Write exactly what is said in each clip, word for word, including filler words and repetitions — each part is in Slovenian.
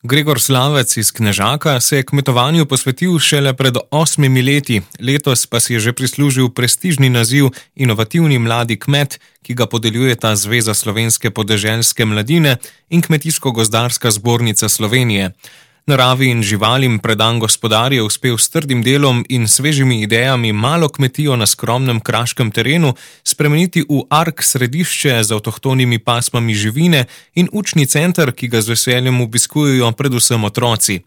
Gregor Slavec iz Knežaka se je kmetovanju posvetil šele pred osmimi leti, letos pa si je že prislužil prestižni naziv Inovativni mladi kmet, ki ga podeljujeta Zveza slovenske podeželske mladine in Kmetijsko-gozdarska zbornica Slovenije. Naravi in živalim predan gospodar je uspel s trdim delom in svežimi idejami malo kmetijo na skromnem kraškem terenu spremeniti v ark središče z avtohtonimi pasmami živine in učni center, ki ga z veseljem obiskujejo predvsem otroci.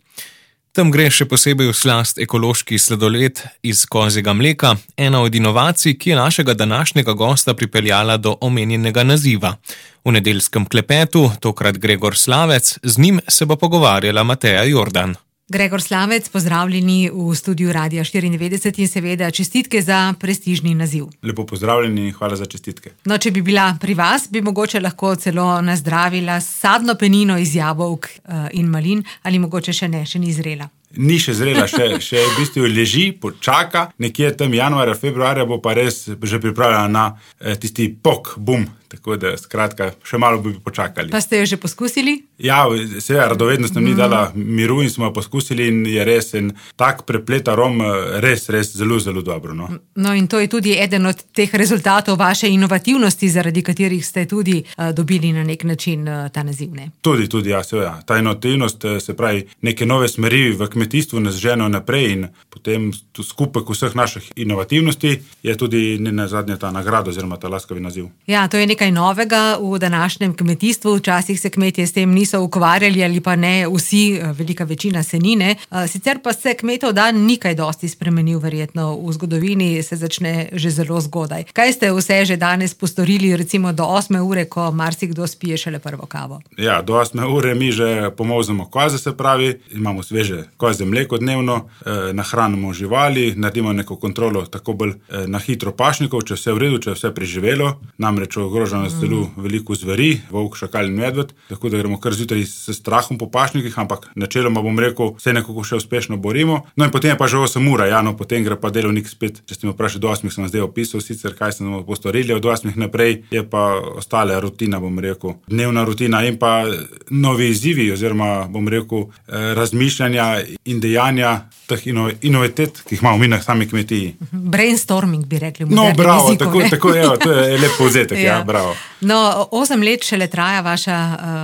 Tam gre še posebej v slast ekološki sladoled iz kozjega mleka, ena od inovacij, ki je našega današnjega gosta pripeljala do omenjenega naziva. V nedeljskem klepetu, tokrat Gregor Slavec, z njim se bo pogovarjala Mateja Jordan. Gregor Slavec, pozdravljeni v studiu Radia štiriindevetdeset in seveda čestitke za prestižni naziv. Lepo pozdravljeni in hvala za čestitke. No, če bi bila pri vas, bi mogoče lahko celo nazdravila sadno penino iz jabolk in malin, ali mogoče še ne, še ni zrela. Ni še zrela, še, še v bistvu leži, počaka, nekje tam januarja, februarja bo pa res že pripravljena na eh, tisti pok, bum, tako da skratka, še malo bi počakali. Pa ste jo že poskusili? Ja, seveda, radovednost nam ni dala miru in smo jo poskusili in je res en tak preplet arom, res, res zelo, zelo dobro. No. No in to je tudi eden od teh rezultatov vaše inovativnosti, zaradi katerih ste tudi uh, dobili na nek način uh, ta naziv, ne? Tudi, tudi, ja, seveda. Ta inovativnost, se pravi, neke nove smeri v kmetijstvu nas ženo naprej in potem skupek vseh naših inovativnosti je tudi ne nazadnje ta nagrada oziroma ta laskavi naziv. Ja, to je nekaj novega v današnjem kmetijstvu. Včasih se kmetje s tem niso ukvarjali ali pa ne vsi, velika večina se ni, ne. Sicer pa se kmetov dan ni kaj dosti spremenil, verjetno v zgodovini se začne že zelo zgodaj. Kaj ste vse že danes postorili, recimo do osme ure, ko marsikdo spije šele prvo kavo? Ja, do osme ure mi že pomolzemo koze, se pravi, imamo sveže kozje mleko dnevno, eh, nahranimo živali, naredimo neko kontrolo tako bolj eh, na hitro pašnikov, če vse v redu, če vse preživelo, namreč ogroženo mm. zelo veliko zveri, volk, šakal in medved, tako da gremo kar zjutraj s strahom po pašnikih, ampak načeloma bom rekel, vse nekako še uspešno borimo. No in potem je pa že osem ura, ja, no potem gre pa delovnik spet, če ste me vprašali do osmih, sem vam zdaj opisal sicer, kaj sem postorili, od osmih naprej je pa ostala rutina, bom rekel, dnevna rutina in pa novi izzivi oziroma, bom rekel, eh, razmišljanja in dejanja teh ino, inovitet, ki jih imamo mi na sami kmetiji. Brainstorming bi rekli. No, bravo, jeziku, tako, tako je, to je lep povzetek, ja. ja, bravo. No, osem let šele traja vaša,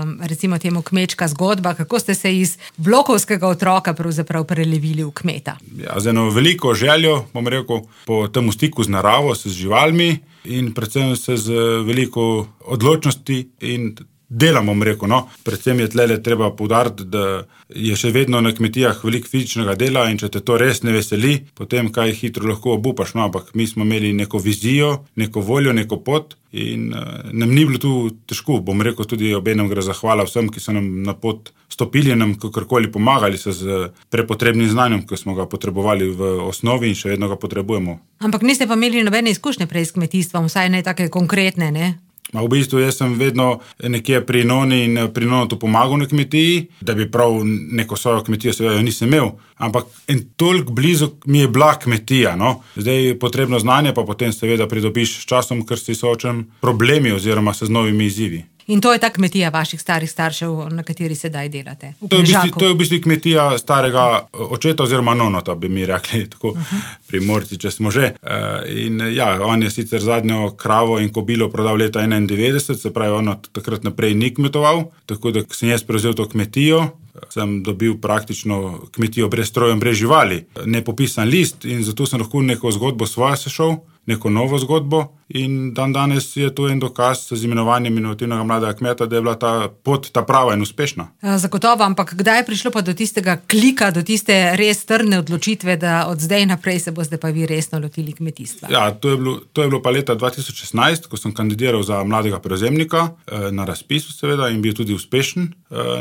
um, recimo temu, kmečka zgodba. Kako ste se iz blokovskega otroka pravzaprav prelevili v kmeta? Ja, z eno veliko željo, bom rekel, po tem stiku z naravo, z živalmi in predvsem se z veliko odločnosti in delam, bom rekel, no. Predvsem je tlele treba poudariti, da je še vedno na kmetijah veliko fizičnega dela in če te to res ne veseli, potem kaj hitro lahko obupaš, no, ampak mi smo imeli neko vizijo, neko voljo, neko pot in uh, nam ni bilo tu težko, bom rekel, tudi obenem gre zahvala vsem, ki so nam na pot stopili, nam kakorkoli pomagali se z prepotrebnim znanjem, ki smo ga potrebovali v osnovi in še vedno ga potrebujemo. Ampak niste pa imeli nobene izkušnje prej s kmetijstvom, vsaj ne take konkretne, ne? Ma v bistvu jaz sem vedno nekje pri noni in pri nonotu pomagal na kmetiji, da bi prav neko svojo kmetijo seveda nisem imel, ampak en toliko blizu mi je bila kmetija, no. Zdaj potrebno znanje pa potem seveda pridobiš s časom, ker si soočen problemi oziroma se z novimi izzivi. In to je ta kmetija vaših starih staršev, na kateri sedaj delate? To je, v bistvu, to je v bistvu kmetija starega očeta oziroma nonota, bi mi rekli, tako uh-huh. Primorci, če smo že. In ja, on je sicer zadnjo kravo in kobilo prodal leta enaindevetdeset, se pravi, on od takrat naprej ni kmetoval, tako da sem jaz prevzel to kmetijo, sem dobil praktično kmetijo brez strojev, brez živali, nepopisan list in zato sem lahko neko zgodbo svojo sešel, neko novo zgodbo in dan danes je to en dokaz z imenovanjem inovativnega mladega kmeta, da je bila ta pot ta prava in uspešna. Zagotovo, ampak kdaj je prišlo pa do tistega klika, do tiste res trdne odločitve, da od zdaj naprej se boste pa vi resno lotili kmetijstva? Ja, to je bilo, to je bilo pa leta dva tisoč šestnajst, ko sem kandidiral za mladega prevzemnika na razpisu seveda in bil tudi uspešen.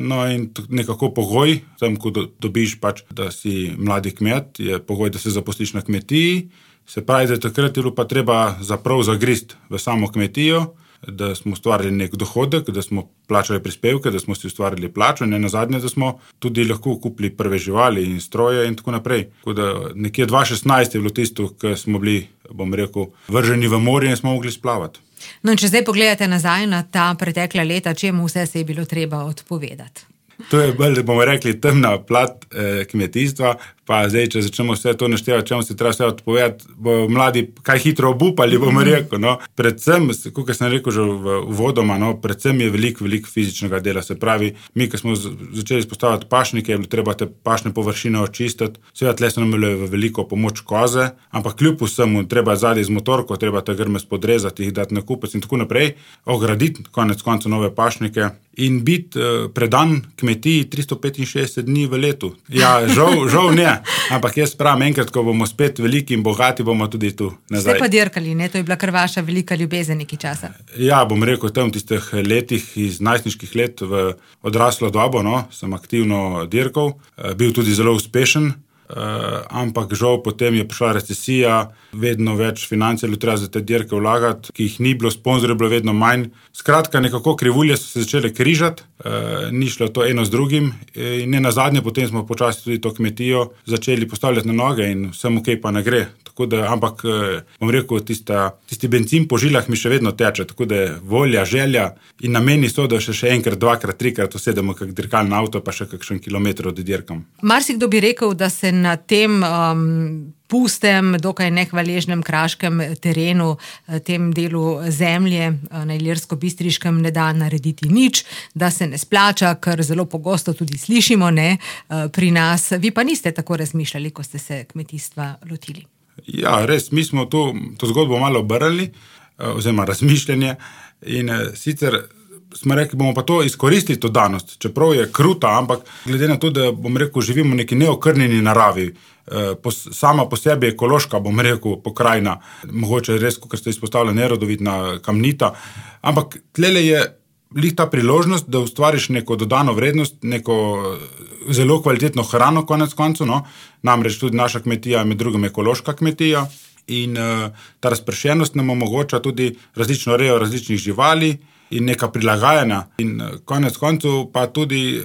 No in nekako pogoj, tam ko dobiš pač, da si mladi kmet, je pogoj, da se zaposliš na kmetiji. Se pravi, da takrat je bilo pa treba zaprav zagrist v samo kmetijo, da smo ustvarili nek dohodek, da smo plačali prispevke, da smo si ustvarili plačo in nazadnje, da smo tudi lahko kupili prve živali in stroje in tako naprej. Tako da nekje dva tisoč šestnajst je bilo tisto, ko smo bili, bom rekel, vrženi v morje in smo mogli splavati. No in če zdaj pogledate nazaj na ta pretekla leta, čemu vse se je bilo treba odpovedati? To je bolj, bomo rekli, temna plat eh, kmetijstva. Pa zdaj, če začnemo vse to naštevati, čemu se treba vse odpovedati, bo mladi kaj hitro obupali, bomo rekel. No. Predvsem, kot sem rekel že v uvodoma, no, predvsem je veliko, veliko fizičnega dela. Se pravi, mi, ko smo začeli izpostavljati pašnike, je bilo treba te pašne površine očistiti. Seveda, tle so nam bile v veliko pomoč koze, ampak kljub vsemu treba zadaj z motorko, treba te grme spodrezati, jih dati na kupec in tako naprej, ograditi konec konca nove pašnike in biti uh, predan kmetiji tristo petinšestdeset dni v letu. Ja, žal, žal ne. Ampak jaz pravim, enkrat, ko bomo spet veliki in bogati, bomo tudi tu nazaj. Ste pa dirkali, ne? To je bila kar vaša velika ljubezen neki časa. Ja, bom rekel, tam v tistih letih iz najstniških let v odraslo dobo, no, sem aktivno dirkal, bil tudi zelo uspešen, ampak žal potem je prišla recesija, vedno več financerjev treba za te dirke vlagati, ki jih ni bilo, sponzorjev bilo vedno manj. Skratka, nekako krivulje so se začele križati, ni šlo to eno z drugim in ne nazadnje, potem smo počasi tudi to kmetijo začeli postavljati na noge in vsem ok pa ne gre. Tako da, ampak bom rekel, tista, tisti benzin po žilah mi še vedno teče, tako da volja, želja in nameni so, da še, še enkrat, dvakrat, trikrat usedemo kak dirkalno avto, pa še kakšen kilometr oddirkam. Marsikdo bi rekel, da se na tem um, pustem, dokaj nehvaležnem kraškem terenu, tem delu zemlje na Ilirsko-Bistriškem ne da narediti nič, da se ne splača, kar zelo pogosto tudi slišimo, ne, pri nas. Vi pa niste tako razmišljali, ko ste se kmetijstva lotili. Ja, res, mi smo to, to zgodbo malo obrali, oziroma razmišljanje in sicer smo rekli, bomo pa to izkoristili, to danost, čeprav je kruta, ampak glede na to, da bom rekel, živimo v neki neokrnjeni naravi, sama po sebi ekološka, bom rekel, pokrajina, mogoče res, kot ste izpostavili, nerodovitna, kamnita, ampak tlele je lih ta priložnost, da ustvariš neko dodano vrednost, neko zelo kvalitetno hrano konec koncu, no, namreč tudi naša kmetija je med drugim ekološka kmetija in uh, ta razpršenost nam omogoča tudi različno rejo različnih živali in neka prilagajanja in uh, konec koncu pa tudi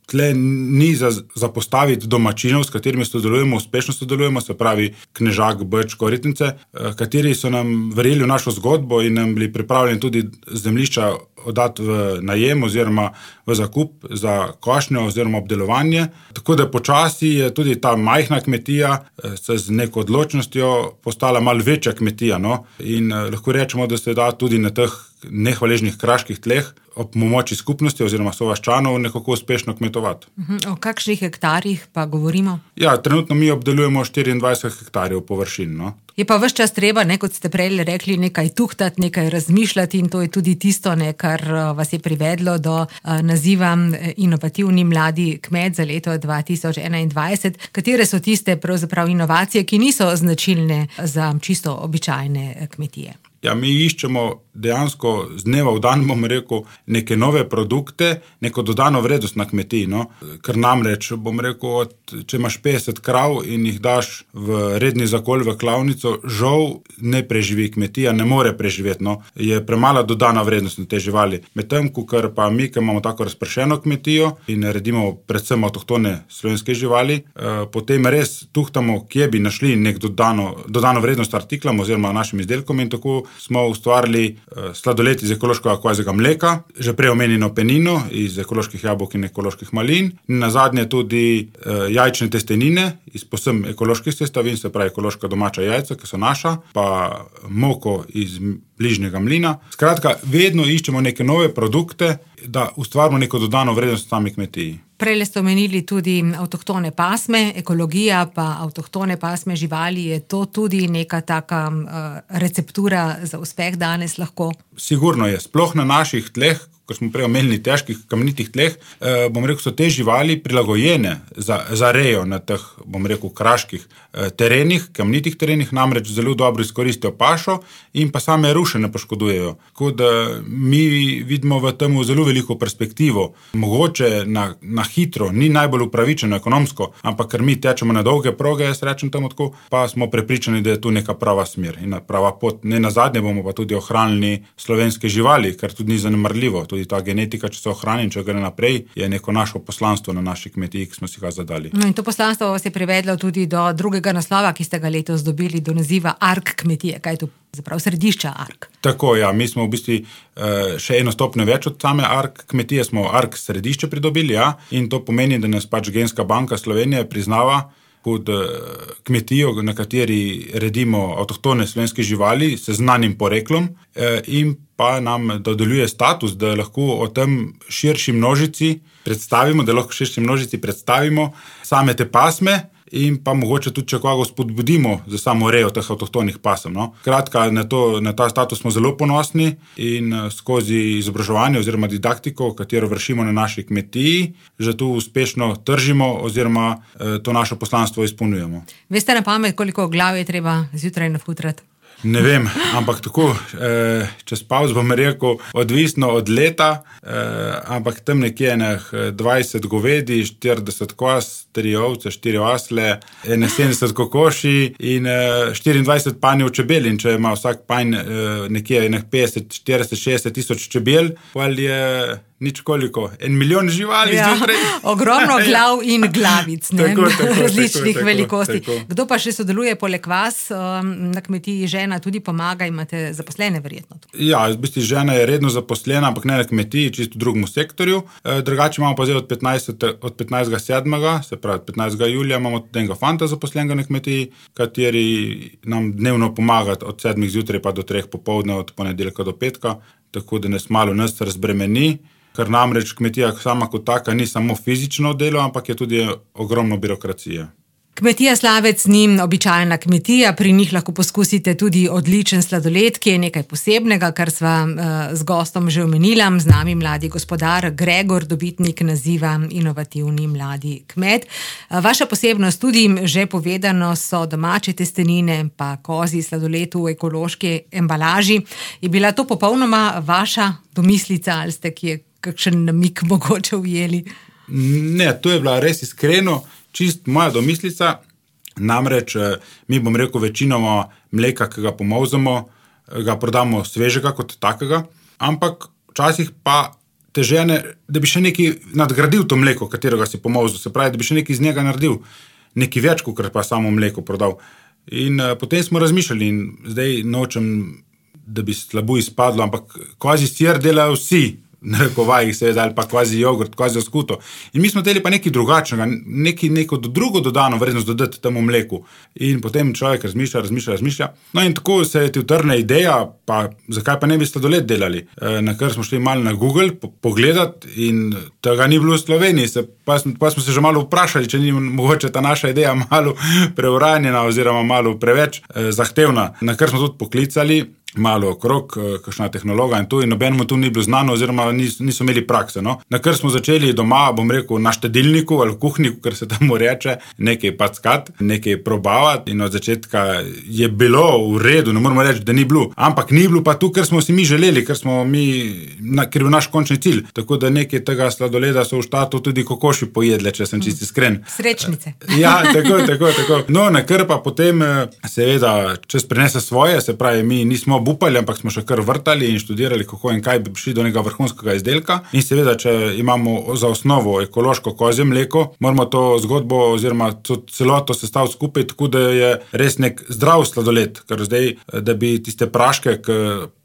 tle ni za, za postaviti domačinov, s katerimi sodelujemo, uspešno sodelujemo, se pravi Knežak, Brč, Koritnice, kateri so nam verjeli v našo zgodbo in nam bili pripravljeni tudi zemljišča oddati v najem oziroma v zakup za košnjo oziroma obdelovanje. Tako da počasi je tudi ta majhna kmetija se z neko odločnostjo postala malo večja kmetija, no? In lahko rečemo, da se da tudi na teh nehvaležnih kraških tleh ob pomoči skupnosti oziroma sovaščanov nekako uspešno kmetovati. O kakšnih hektarjih pa govorimo? Ja, trenutno mi obdelujemo štiriindvajset hektarjev površin, no. Je pa ves čas treba, ne, kot ste prej rekli, nekaj tuhtati, nekaj razmišljati in to je tudi tisto, ne, kar vas je privedlo do uh, naziva inovativni mladi kmet za leto dva tisoč enaindvajset. Katere so tiste pravzaprav inovacije, ki niso značilne za čisto običajne kmetije? Ja, mi iščemo dejansko z dneva v dan, bom rekel, neke nove produkte, neko dodano vrednost na kmetiji, no. Ker namreč, bom rekel, od, če imaš petdeset krav in jih daš v redni zakol v klavnico, žal ne preživi kmetija, ne more preživeti, no. Je premala dodana vrednost na te živali. Medtem, ker pa mi, ki imamo tako razpršeno kmetijo in naredimo predvsem avtohtone slovenske živali, eh, potem res tuhtamo, kje bi našli nek dodano, dodano vrednost artiklom oziroma našim izdelkom in tako smo ustvarili uh, sladoled iz ekološkega kozjega mleka, že prej omenjeno penino iz ekoloških jabolk in ekoloških malin, in nazadnje tudi uh, jajčne testenine iz povsem ekoloških sestavin, se pravi ekološka domača jajca, ki so naša, pa moko iz bližnjega mlina. Skratka, vedno iščemo neke nove produkte, da ustvarimo neko dodano vrednost v sami kmetiji. Prej ste omenili tudi avtohtone pasme, ekologija pa avtohtone pasme živali, je to tudi neka taka uh, receptura za uspeh danes lahko? Sigurno je, sploh na naših tleh, ko smo prej omenili težkih kamnitih tleh, eh, bom rekel, so te živali prilagojene za, za rejo na teh, bom rekel, kraških eh, terenih, kamnitih terenih, namreč zelo dobro izkoristijo pašo in pa same ruše ne poškodujejo. Tako da mi vidimo v tem zelo veliko perspektivo. Mogoče na, na hitro, ni najbolj upravičeno ekonomsko, ampak ker mi tečemo na dolge proge, jaz rečem temu tako, pa smo prepričani, da je tu neka prava smer in prava pot. Ne nazadnje bomo pa tudi ohranili slovenske živali, kar tudi ni zanemarljivo. tudi ta genetika, če se ohrani in če gre naprej, je neko našo poslanstvo na naši kmetiji, ki smo si ga zadali. No in to poslanstvo vas je privedlo tudi do drugega naslova, ki ste ga letos dobili, do naziva Ark kmetije. Kaj je to zapravo središča Ark? Tako, ja, mi smo v bistvu še eno stopnjo več od same Ark kmetije, smo Ark središče pridobili, ja, in to pomeni, da nas pač Genska banka Slovenije priznava kot kmetijo, na kateri redimo avtohtone slovenske živali s znanim poreklom in pa nam dodeljuje status, da lahko o tem širši množici predstavimo, da lahko širši množici predstavimo same te pasme in pa mogoče tudi, če koga spodbudimo za samo rejo teh avtohtonih pasem. No. Kratka, na, to, na ta status smo zelo ponosni in skozi izobraževanje oziroma didaktiko, katero vršimo na naši kmetiji, že tu uspešno tržimo oziroma eh, to našo poslanstvo izpolnjujemo. Veste na pamet, koliko glav je treba zjutraj nafutrati? Ne vem, ampak tako, eh, čez pavz bom rekel, odvisno od leta, eh, ampak tam nekje enih dvajset govedi, štirideset koz, tri ovce, štiri osle, sedemdeset kokoši in eh, štiriindvajset panjev čebel. In če ima vsak panj eh, nekje enih petdeset, štirideset, šestdeset tisoč čebel, pol je nič koliko, en milijon živali ja, zjutraj. Ogromno glav in glavic, ne? Tako, tako, različnih tako, velikosti. tako. Kdo pa še sodeluje poleg vas um, na kmetiji? Žena tudi pomaga, imate zaposlene verjetno? Ja, v bistvu žena je redno zaposlena, ampak ne na kmetiji, čisto v drugem sektorju. E, drugače imamo pa zdaj od, od petnajstega sedmega, se pravi petnajstega julija, imamo tudi enega fanta zaposlenega na kmetiji, kateri nam dnevno pomaga od sedmih zjutraj pa do treh popoldne, od ponedeljka do petka, tako da nas malo nas razbremeni. Ker namreč kmetija sama kot taka ni samo fizično delo, ampak je tudi ogromno birokracije. Kmetija Slavec ni običajna kmetija, pri njih lahko poskusite tudi odličen sladoled, ki je nekaj posebnega, kar sva uh, z gostom že omenila, z nami mladi gospodar Gregor, dobitnik naziva inovativni mladi kmet. Uh, vaša posebnost tudi že povedano so domače testenine, pa kozji sladoled v ekološki embalaži. Je bila to popolnoma vaša domislica ali ste kje kakšen namik mogoče ujeli? Ne, to je bila res iskreno, čist moja domislica, namreč mi bom rekel večinoma mleka, ki ga pomolzamo, ga prodamo svežega kot takega, ampak včasih pa te žene, da bi še nekaj nadgradil to mleko, katerega si pomolzil, se pravi, da bi še nekaj iz njega naredil, nekaj več, kot pa samo mleko prodal. In uh, potem smo razmišljali in zdaj nočem, da bi slabo izpadlo, ampak kvazi sir delajo vsi, na rekovajih seveda, ali pa kvazi jogurt, kvazi skuto. In mi smo teli pa nekaj drugačnega, nekaj, neko drugo dodano vrednost dodati temu mleku. In potem človek razmišlja, razmišlja, razmišlja. No in tako se je ti utrne ideja, pa zakaj pa ne bi sladoled delali. E, na kar smo šli malo na Google po, pogledati in tega ni bilo v Sloveniji. Se, pa, pa smo se že malo vprašali, če ni mogoče ta naša ideja malo preuranjena oziroma malo preveč e, zahtevna. Na kar smo tudi poklicali malo okrog, kakšna tehnologa in to, in nobenemu tu ni bilo znano oziroma nis, niso imeli prakse. No? Na kar smo začeli doma, bom rekel, na štedilniku ali kuhniku, kar se tamo reče, nekaj packat, nekaj probavati in od začetka je bilo v redu, ne moramo reči, da ni bilo, ampak ni bilo pa tu, ker smo si mi želeli, ker smo mi, na, ker je naš končni cilj. Tako da nekaj tega sladoleda so v štatu tudi kokoši pojedle, če sem čisto iskren. Srečnice. Ja, tako, tako, tako. No, na kar pa potem seveda čez prenese svoje, se pravi, mi nismo obupali, ampak smo še kar vrtali in študirali, kako in kaj bi prišli do nekega vrhunskega izdelka. In seveda, če imamo za osnovo ekološko kozje mleko, moramo to zgodbo oziroma celoto sestaviti skupaj, tako da je res nek zdrav sladoled, ker zdaj, da bi tiste praške, ki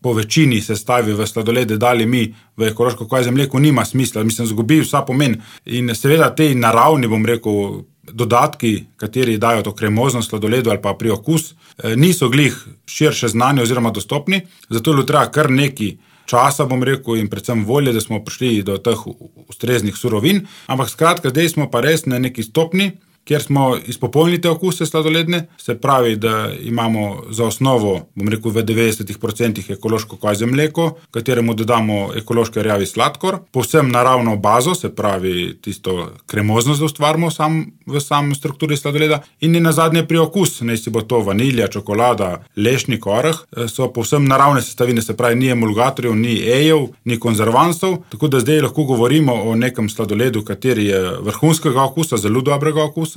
po večini sestavi v sladolede dali mi v ekološko kozje mleko, nima smisla, mislim, zgubi vsa pomen. In seveda tej naravni, bom rekel, dodatki, kateri dajo to kremoznost sladoledu ali pa priokus, niso glih širše znani oziroma dostopni, zato je treba kar nekaj časa, bom rekel, in predvsem volje, da smo prišli do teh ustreznih surovin, ampak skratka, zdaj smo pa res na neki stopni, kjer smo izpopolnili te okuse sladoledne, se pravi, da imamo za osnovo, bom rekel, v devetdeset procentih ekološko kozje mleko, kateremu dodamo ekološki rjavi sladkor, povsem naravno bazo, se pravi tisto kremoznost, da ustvarimo sam, v sam strukturi sladoleda, in na zadnje priokus, naj si bo to vanilja, čokolada, lešnik, oreh, so povsem naravne sestavine, se pravi, ni emulgatorjev, ni ejev, ni konzervansov, tako da zdaj lahko govorimo o nekem sladoledu, kateri je vrhunskega okusa, zelo dobrega okusa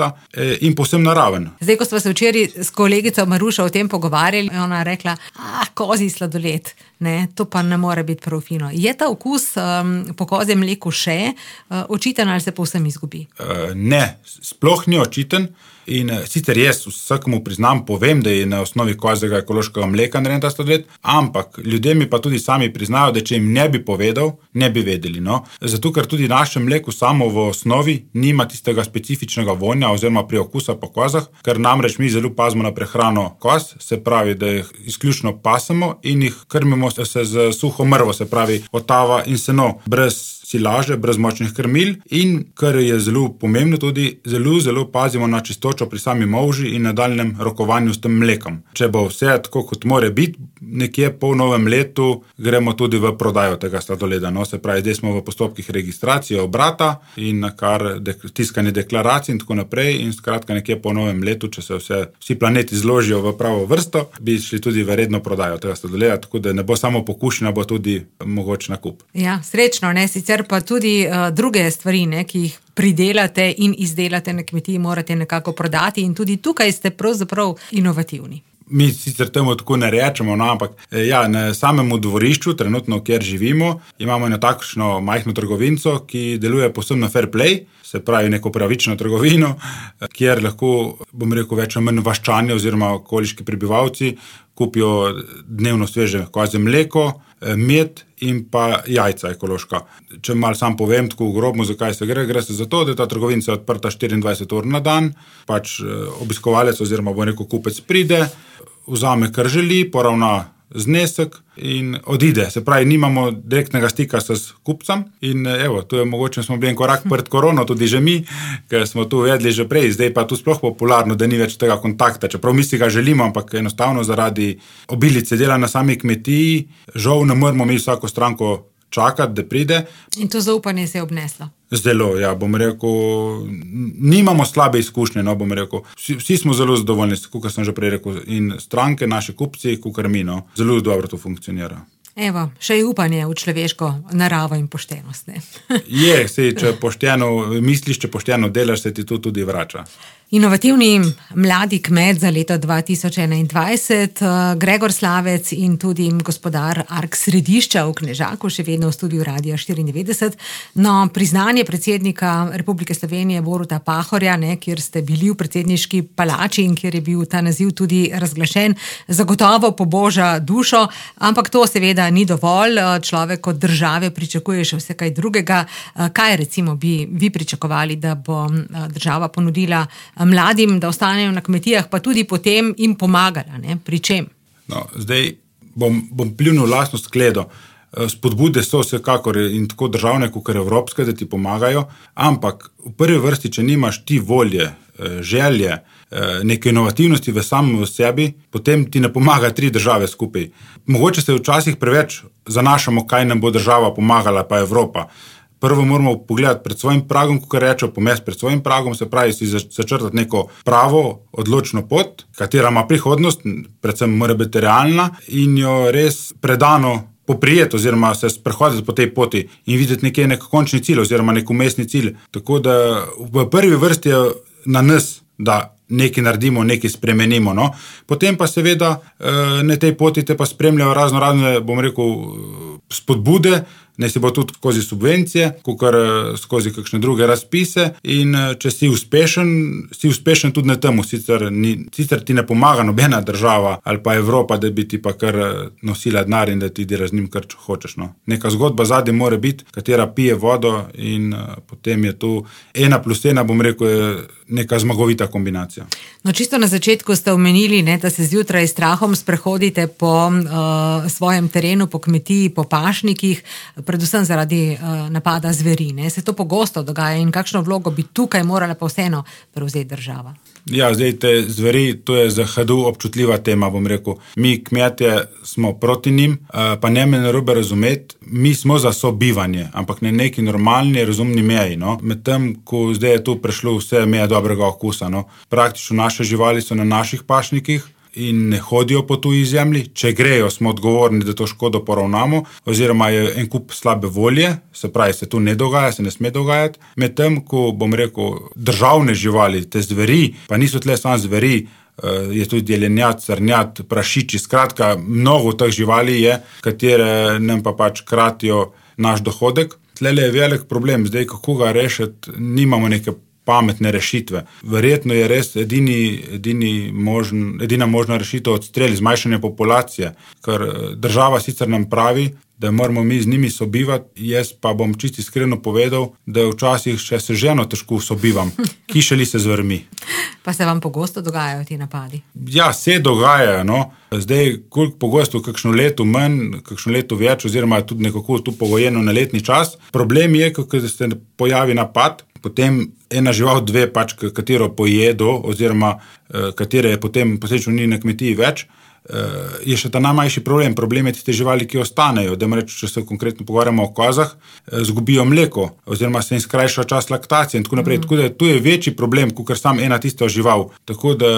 in povsem naraven. Zdaj, ko smo se včeraj s kolegico Marušo o tem pogovarjali, je ona rekla, ah, kozji sladoled. ne, to pa ne more biti prav fino. Je ta okus um, po kozjem mleku še uh, očiten ali se povsem izgubi? Uh, ne, sploh ni očiten. In sicer jaz vsakemu priznam, povem, da je na osnovi kozjega ekološkega mleka narejen ta sladoled, ampak ljudje mi pa tudi sami priznajo, da če jim ne bi povedal, ne bi vedeli. No? Zato, ker tudi naše mleko samo v osnovi nima tistega specifičnega vonja oziroma priokusa po kozah, ker namreč mi zelo pazimo na prehrano koz, se pravi, da jih izključno pasemo in jih krmimo se z suho mrvo, se pravi otava in seno, brez silaže, brez močnih krmil in, kar je zelo pomembno tudi, zelo, zelo pazimo na čistočo pri sami molži in nadaljnem rokovanju s tem mlekom. Če bo vse tako, kot more biti, nekje po novem letu gremo tudi v prodajo tega sladoleda. No, se pravi, zdaj smo v postopkih registracije obrata in kar dek, tiskanje deklaracij in tako naprej in skratka nekje po novem letu, če se vse, vsi planeti zložijo v pravo vrsto, bi šli tudi v redno prodajo tega sladoleda, tako da ne bo samo pokušnja, bo tudi mogoč nakup. Ja, srečno, ne, sicer pa tudi uh, druge stvari, ne, ki jih pridelate in izdelate na kmetiji, morate nekako prodati in tudi tukaj ste pravzaprav inovativni. Mi sicer temu tako ne rečemo, no, ampak ja, na samemu dvorišču, trenutno, kjer živimo, imamo eno takšno majhno trgovinco, ki deluje povsem na fair play, se pravi neko pravično trgovino, kjer lahko, bom rekel, več ali manj vaščani oziroma okoliški prebivalci kupijo dnevno sveže kozje mleko, med in pa jajca ekološka. Če malo sam povem, tako grobno, zakaj se gre, gre se za to, da ta trgovinca je odprta štiriindvajset ur na dan, pač obiskovalec oziroma bo rekel kupec pride, vzame, kar želi, poravna znesek in odide. Se pravi, nimamo direktnega stika s kupcem in evo, tu je mogoče, smo bili en korak pred korono, tudi že mi, ker smo tu vedeli že prej, zdaj pa tu sploh popularno, da ni več tega kontakta, čeprav mi si ga želimo, ampak enostavno zaradi obilice dela na sami kmetiji, žal ne moramo mi vsako stranko čakati, da pride. In to zaupanje se je obneslo. Zelo, ja, bom rekel, nimamo slabe izkušnje, no, bom rekel, vsi, vsi smo zelo zadovoljni, kot sem že prej rekel, in stranke, naši kupci, kukar mi, no, zelo dobro to funkcionira. Evo, še je upanje v človeško naravo in poštenost, ne? Je, sej, če pošteno misliš, če pošteno delaš, se ti to tudi vrača. Inovativni mladi kmet za leto dva tisoč enaindvajset, Gregor Slavec in tudi gospodar Ark Središča v Knežaku, še vedno v studiu Radia štiriindevetdeset. No, priznanje predsednika Republike Slovenije Boruta Pahorja, ne, kjer ste bili v predsedniški palači in kjer je bil ta naziv tudi razglašen, zagotovo poboža dušo, ampak to seveda ni dovolj. Človek od države pričakuje še vse kaj drugega. Kaj recimo bi vi pričakovali, da bo država ponudila mladim, da ostanejo na kmetijah, pa tudi potem jim pomagala, ne? Pri čem? No, zdaj bom, bom pljunil lastno skledo. Spodbude so vsekakor in tako državne, kot evropske, da ti pomagajo, ampak v prvi vrsti, če nimaš ti volje, želje, neke inovativnosti v samem v sebi, potem ti ne pomaga tri države skupaj. Mogoče se včasih preveč zanašamo, kaj nam bo država pomagala, pa Evropa. Prvo moramo pogledati pred svojim pragom, kako rečejo, pomest pred svojim pragom, se pravi si začrtati neko pravo, odločno pot, katera ima prihodnost, predvsem mora biti realna in jo res predano poprijeti oziroma se sprehoditi po tej poti in videti nekje nek končni cilj oziroma nek umestni cilj. Tako da v prvi vrsti je na nas, da nekaj naredimo, nekaj spremenimo. No? Potem pa seveda na tej poti te pa spremljajo razno razne, bom rekel, spodbude, ne si bo tudi skozi subvencije, kukar skozi kakšne druge razpise in če si uspešen, si uspešen tudi na temu, sicer, ni, sicer ti ne pomaga nobena država ali pa Evropa, da bi ti pa kar nosila denar in da ti delaš z njim kar hočeš. No. Neka zgodba zadnje mora biti, katera pije vodo in uh, potem je tu ena plus ena, bom rekel, je neka zmagovita kombinacija. No, čisto na začetku ste omenili, ne, da se zjutraj s strahom sprehodite po uh, svojem terenu, po kmetiji, po pašnikih, predvsem zaradi uh, napada zveri. Ne? Se to pogosto dogaja in kakšno vlogo bi tukaj morala pa vseeno prevzeti država? Ja, zdaj te zveri, to je za hadu občutljiva tema, bom rekel. Mi kmetje smo proti njim, pa ne me narobe razumeti, mi smo za sobivanje, ampak ne neki normalni, razumni meji. No? Medtem, ko zdaj je tu prišlo vse meje dobrega okusa. No? Praktično naše živali so na naših pašnikih in ne hodijo po tuji zemlji. Če grejo, smo odgovorni, da to škodo poravnamo, oziroma je en kup slabe volje, se pravi, se tu ne dogaja, se ne sme dogajati. Medtem, ko bom rekel, državne živali, te zveri, pa niso tle samo zveri, je tudi jelenjad, srnjad, prašiči, skratka, mnogo teh živali je, katere nam pa pač kratijo naš dohodek. Tlele je velik problem, zdaj kako ga rešiti, nimamo neke pametne rešitve. Verjetno je res edini, edini možn, edina možna rešitev odstrel, zmanjšanje populacije, ker država sicer nam pravi, da moramo mi z njimi sobivati, jaz pa bom čisto iskreno povedal, da včasih še se ženo težko sobivam, kišeli se zvrmi. Pa se vam pogosto dogajajo ti napadi? Ja, se dogajajo, no. Zdaj, koliko pogosto, kakšno leto manj, kakšno leto več, oziroma tudi nekako tu pogojeno na letni čas. Problem je, ko se pojavi napad, potem ena žival, dve pač, katero pojedo, oziroma katere je potem posledično ni na kmetiji več, je še ta najmanjši problem. Problem je tiste živali, ki ostanejo. Dajmo reči, če se konkretno pogovarjamo o kozah, zgubijo mleko, oziroma se jim skrajša čas laktacije in tako naprej. Mm. Tako da tu je večji problem, kot sam ena tista žival. Tako da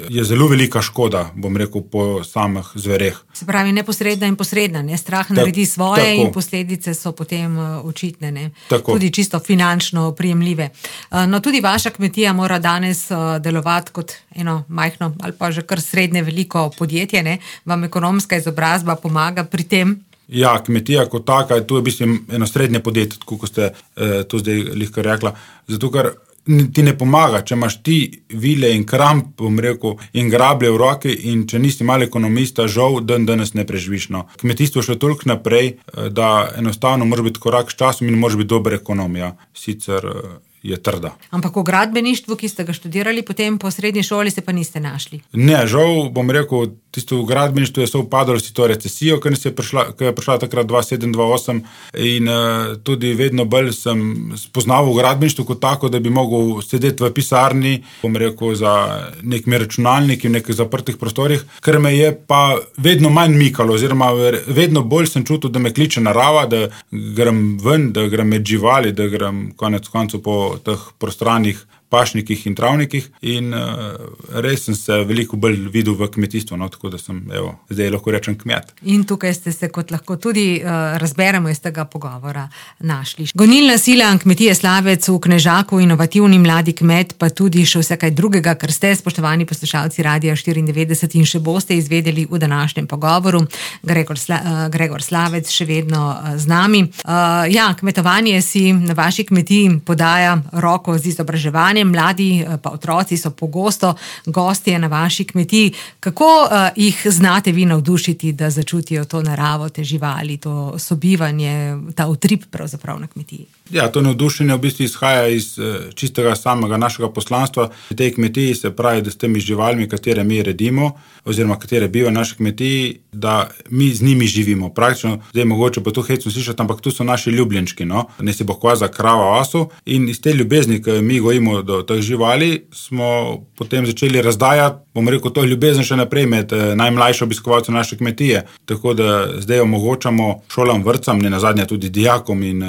je zelo velika škoda, bom rekel, po samih zvereh. Se pravi, neposredna in posredna, ne? Strah naredi svoje tako. In posledice so potem očitne, ne? Tako. Tudi čisto finančno prijemljive. No, tudi vaša kmetija mora danes delovati kot eno majhno ali pa že kar srednje veliko podjetje, ne? Vam ekonomska izobrazba pomaga pri tem? Ja, kmetija kot taka, tu je v bistvu eno srednje podjetje, kot ste eh, to zdaj lihko rekla, zato ker ti ne pomaga, če imaš ti vile in kramp, bom rekel, in grablje v roki in če nisi mal ekonomista, žal, dan danes ne preživiš. No. Kmetijstvo še toliko naprej, da enostavno može biti korak s časom in može biti dobra ekonomija, sicer je trda. Ampak v gradbeništvu, ki ste ga študirali, potem po srednji šoli se pa niste našli? Ne, žal, bom rekel, tisto v gradbeništvu je sovpadalo s to recesijo, ker je prišla, ker je prišla takrat dva sedem dva osem in uh, tudi vedno bolj sem spoznal v gradbeništvu kot tako, da bi mogel sedeti v pisarni, bom rekel, za nekimi računalniki v nekih zaprtih prostorih, ker me je pa vedno manj mikalo, oziroma vedno bolj sem čutil, da me kliče narava, da grem ven, da grem med živali, da grem konec koncu po teh prostranih pašnikih in travnikih in uh, res sem se veliko bolj videl v kmetijstvu, no, tako da sem, evo, zdaj lahko rečem kmet. In tukaj ste se, kot lahko tudi uh, razberemo iz tega pogovora, našli. Gonilna sila kmetije Slavec v Knežaku, inovativni mladi kmet, pa tudi še vse kaj drugega, kar ste, spoštovani poslušalci Radia štiriindevetdeset in še boste izvedeli v današnjem pogovoru. Gregor, Sla, uh, Gregor Slavec še vedno uh, z nami. Uh, ja, kmetovanje si na vaši kmetiji podaja roko z izobraževanjem. Mladi pa otroci so pogosto gostje na vaši kmetiji. Kako uh, jih znate vi navdušiti, da začutijo to naravo, te živali, to sobivanje, ta utrip pravzaprav na kmetiji? Ja, to navdušenje v bistvu izhaja iz uh, čistega samega našega poslanstva. V tej kmetiji se pravi, da s temi živalmi, katere mi redimo, oziroma katere bivajo na naši kmetiji, da mi z njimi živimo. Praktično, zdaj mogoče pa to hecno slišati, ampak tu so naši ljubljenčki, no? Ne si bo koza, krava, osu in iz te ljubezni, ki mi gojimo do teh živali, smo potem začeli razdajati, bom rekel, to ljubezen še naprej med najmlajšo obiskovalce naše kmetije. Tako da zdaj omogočamo šolam, vrtcam, ne nazadnje tudi dijakom in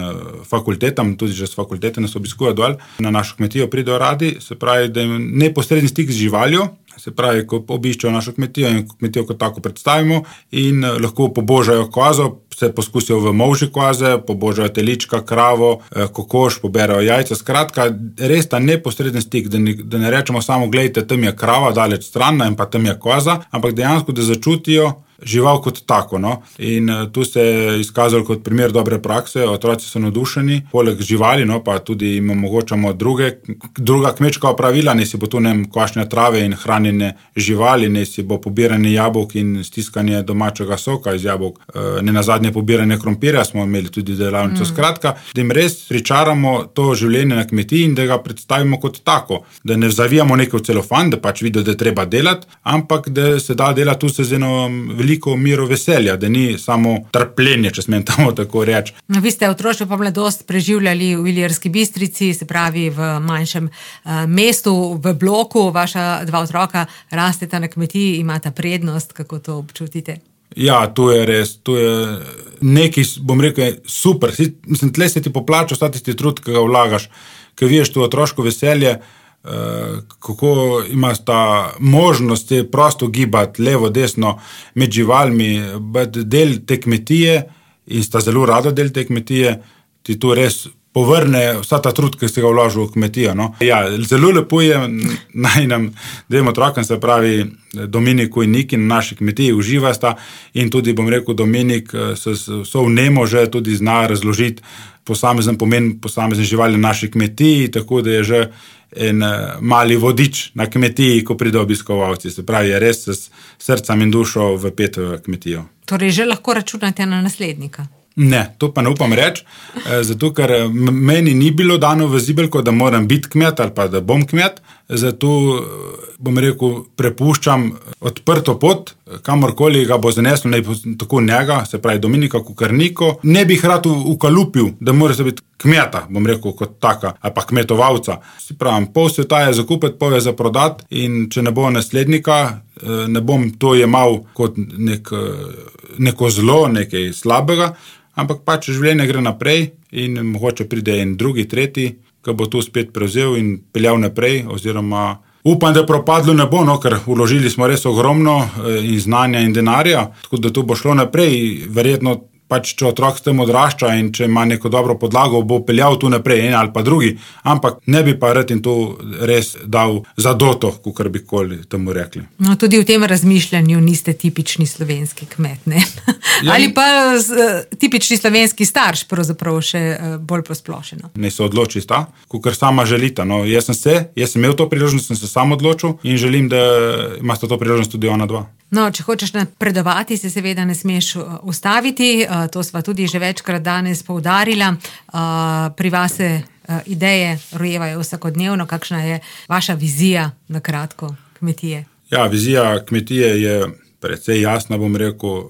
fakultetam, tudi že s fakultete nas obiskujejo dol, na našo kmetijo pridejo radi, se pravi, da jim neposredni stik z živaljo, se pravi, ko obiščejo našo kmetijo in kmetijo kot tako predstavimo in lahko pobožajo kozo, se poskusijo v molži koze, pobožajo telička, kravo, kokoš, poberajo jajca, skratka, res ta neposreden stik, da ne, da ne rečemo samo, gledajte, tam je krava, daleč stran in pa tam je koza, ampak dejansko, da začutijo žival kot tako, no. In uh, tu se je izkazalo kot primer dobre prakse, otroci so navdušeni, poleg živali, no, pa tudi jim omogočamo druge, druga kmečka opravila, ne si bo tu nem kvašnja trave in hranjene živali, ne si bo pobiranje jabolk in stiskanje domačega soka iz jabolk, uh, ne nazadnje pobiranje krompirja, smo imeli tudi delavnico, mm. skratka, da jim res pričaramo to življenje na kmetiji in da ga predstavimo kot tako, da ne zavijamo nekaj v celofan, da pač vidijo, da je treba delati, ampak da se da delati tu se z eno veliko miro veselja, da ni samo trpljenje, če smem tamo tako reči. No, vi ste otroštvo pa mladost preživljali v Ilirski Bistrici, se pravi v manjšem uh, mestu, v bloku, vaša dva otroka rasteta na kmetiji, imata prednost, kako to občutite? Ja, to je res, to je nekaj, bom rekel, super. Mislim, tle se ti poplača vsa tisti trud, ki ga vlagaš, ki vidiš to otroško veselje, Uh, kako imaš ta možnost prosto gibati levo, desno med živalmi, del te kmetije in sta zelo rada del te kmetije, ti tu res povrne vsa ta trud, ki se ga vložil v kmetijo. No. Ja, zelo lepo je naj nam dvema otrokom, se pravi Dominiku in Niki na naši kmetiji uživasta in tudi, bom rekel, Dominik se so vnemo že tudi zna razložiti posamezen pomen posamezne živali na naši kmetiji, tako da je že en mali vodič na kmetiji, ko pride obiskovalci. Se pravi, je res s srcem in dušo vpet v kmetijo. Torej, že lahko računate na naslednika? Ne, to pa ne upam reči, zato ker meni ni bilo dano v zibelko, da moram biti kmet ali pa da bom kmet, zato bom rekel, prepuščam odprto pot, kamorkoli ga bo zaneslo, ne tako njega, se pravi Dominika Kukarniko. Ne bi rad ukalupil, da mora se biti kmeta, bom rekel, kot taka, ali pa kmetovalca. Si pravim, pol sveta je za kupiti, pol je za prodati in če ne bo naslednika, ne bom to jemal kot nek, neko zlo, nekaj slabega, ampak pač življenje gre naprej in mogoče pride en drugi, tretji, ki bo to spet prevzel in peljal naprej, oziroma upam, da propadlo ne bo, no, ker vložili smo res ogromno in znanja in denarja, tako da to bo šlo naprej, verjetno pač, če otrok s tem odrašča in če ima neko dobro podlago, bo peljal tu naprej, en ali pa drugi, ampak ne bi pa rad in to res dal zadoto, kakor bi koli temu rekli. No, tudi v tem razmišljanju niste tipični slovenski kmet, ne? Ja. Ali pa uh, tipični slovenski starš, pravzaprav še uh, bolj posplošeno. Ne se odloči sta, kakor sama želita. No, jaz sem se, jaz sem imel to priložnost, sem se sam odločil in želim, da imate to priložnost tudi ona dva. No, če hočeš napredovati, se seveda ne smeš ustaviti, to sva tudi že večkrat danes poudarila. Pri vas se ideje rojevajo vsakodnevno, kakšna je vaša vizija na kratko kmetije? Ja, vizija kmetije je precej jasna, bom rekel,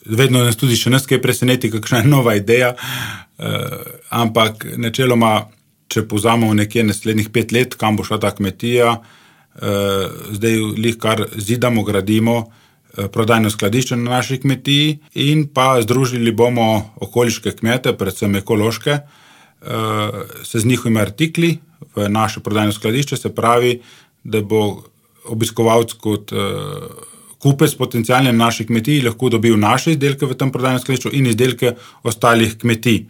vedno nas tudi še nas kaj preseneti, kakšna je nova ideja, ampak načeloma, če povzamemo nekje naslednjih pet let, kam bo šla ta kmetija, zdaj lih kar zidamo, gradimo prodajno skladišče na naši kmetiji in pa združili bomo okoliške kmete, predvsem ekološke, se z njihovimi artikli v naše prodajno skladišče, se pravi, da bo obiskovalec kot kupec potencialne na naši kmetiji lahko dobil naše izdelke v tem prodajnem skladišču in izdelke ostalih kmetij,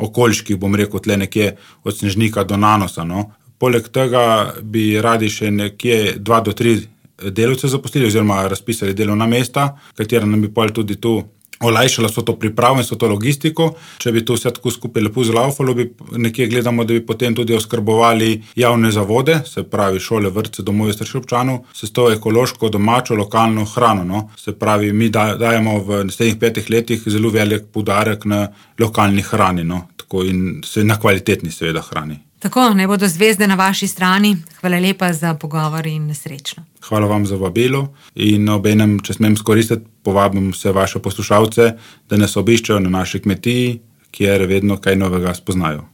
okoliških, bom rekel, tle nekje od Snežnika do Nanosa, no. Poleg tega bi radi še nekje dva do tri delavce zaposlili oziroma razpisali delovna mesta, katera nam bi pol tudi tu olajšala so to pripravo in so to logistiko. Če bi to vse tako skupaj lepo zlaufalo, bi nekje gledamo, da bi potem tudi oskrbovali javne zavode, se pravi šole, vrtce, domove starših občanov, s to ekološko, domačo, lokalno hrano. No. Se pravi, mi dajemo v naslednjih petih letih zelo velik poudarek na lokalni hrani, no. Tako in na kvalitetni seveda hrani. Tako, naj bodo zvezde na vaši strani. Hvala lepa za pogovor in srečno. Hvala vam za vabilo in obenem, če smem skoristiti, povabim vse vaše poslušalce, da nas obiščejo na naši kmetiji, kjer vedno kaj novega spoznajo.